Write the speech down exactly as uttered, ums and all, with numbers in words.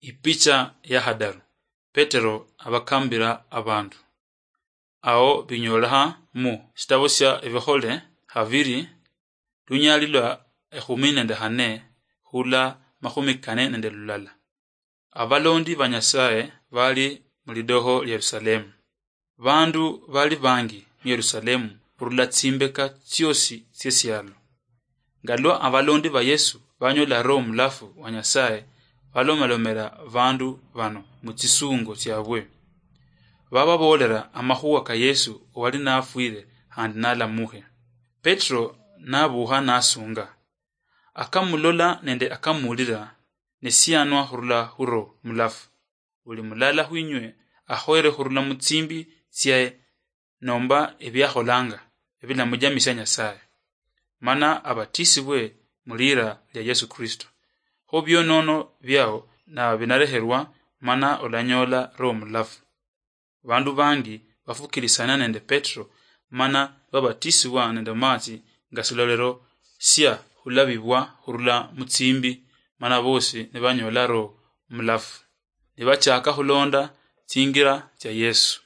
Ipicha ya hadaru. Petero abakambira abandu. Ao binyolekha mu shitabo shia Ebikhole habiri, lunyali lwa ekhumi nende khane khula makhumi kane nende lulala. Abalondi ba Nyasaye bali mu lidoho lia Yerusalemu. Bandu bali bangi mu Yerusalemu khurula tsimbeka tsiosi tsiesialo. Nga lwa abalondi ba Yesu banyola Roho Mulafu wa Nyasaye, balomalomera bandu bano mu tsisungo tsiabwe. Bababoolera amakhuwa ka Yesu owali nafwire khandi nalamukhe. Petero nabuukha nasunga. Akamulola nende akamuulira, ne siyanwa khurula khu Roho Mulafu. Buli mulala khwinywe akhoyere khurula mu tsimbi tsiaye nomba ebiakholanga ebilamujamisia Nyasaye, mana abatisibwe mu liira lia Yesu Kristo. Kho bionono biao na binareherwa, mana olanyola Roho Mulafu. Bandu bangi bafukirisana nende Petero, mana babatisibwa nende maatsi nga silolero sia khulabibwa khurula mu tsimbi, mana bosi nibanyola Roho Mulafu. Nibachaka khulonda tsingira tsia Yesu.